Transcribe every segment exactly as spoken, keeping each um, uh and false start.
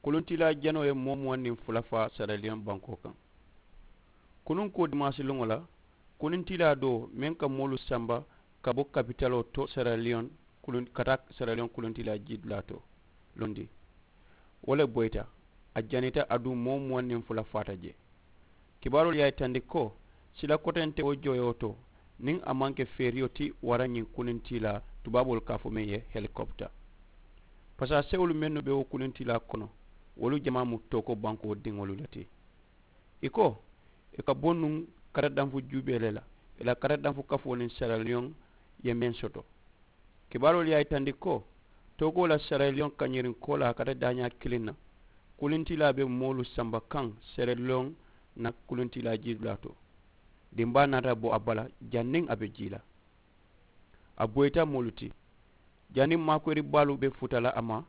Kuluntiilaa janoo ye moo muwaŋ niŋ fula faa seraliyoŋ bankoo kaŋ. Kunuŋ kuwo dimaasi luŋo la, kuluntiilaa doo meŋ ka moolu samba ka bo kapitaloo to seraliyoŋ, ka taa seraliyoŋ kuluntiilaa jidulaa to londi, wo le boyita. A janita aduŋ moo muwaŋ niŋ fula faata jee. Kibaaroolu ye a yitandi ko sila koteŋ te wo jooyoo to niŋ a maŋ ke feeriyo ti wara ñiŋ kuluntiilaa tubaaboolu ka a fo meŋ ye helikopita. Pasaasewolu mennu be wo kuluntiilaa kono, wolu jamaa mu tooko bankoo diŋolu le ti. I ko i ka bo nuŋ katadanfu juubee le la, i la katadanfu kafoo niŋ seraliyoŋ ye meŋ soto. Kibaaroolu ye a yitandi ko tookoo la seraliyoŋ kañiriŋ koolaa kata daañaa kiliŋ na, kuluntiilaa be moolu samba kaŋ seraliyoŋ na kuluntiilaa jiidulaa to. Dimbaa naata bo a bala janniŋ a be jii la. A boyita moolu ti janniŋ maakoyiri baalu be futa la a ma,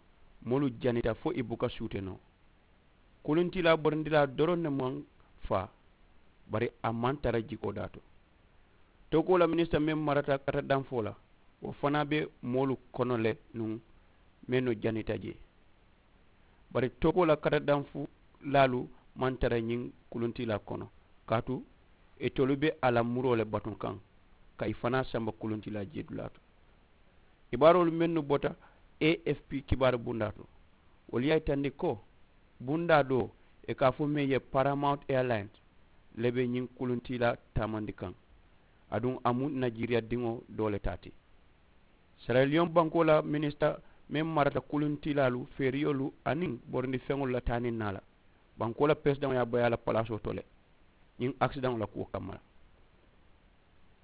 moolu janita fo i buka suute noo. Kuluntiilaa borindilaa doroŋ ne maŋ faa, bari a maŋ tara jikoo daa to. Tookoo la minisita meŋ marata kata danfoo la, wo fanaa be moolu kono le nuŋ mennu janita jee. Bari tookoo la kata danfulaalu maŋ tara ñiŋ kuluntiilaa kono, kaatu itolu be a la muroo le batuŋ kaŋ ka i fanaa samba kuluntiilaa jiidulaa to. Kibaaroolu mennu bota a f p kibaaru bundaa to, wolu ye a yitandi ko bundaa doo i ka a fo meŋ ye paramount airlines le be ñiŋ kuluntiilaa taamandi kaŋ, aduŋ a mu najiriya diŋo doo le taa ti. Seraliyoŋ bankoo la minisita meŋ marata kuluntiilaalu feeriyolu aniŋ borindi feŋolu la taa niŋ naa la, bankoo la peresidaŋo ye a bayi a la palaasoo to le ñiŋ akisidaŋo la kuwo kamma la.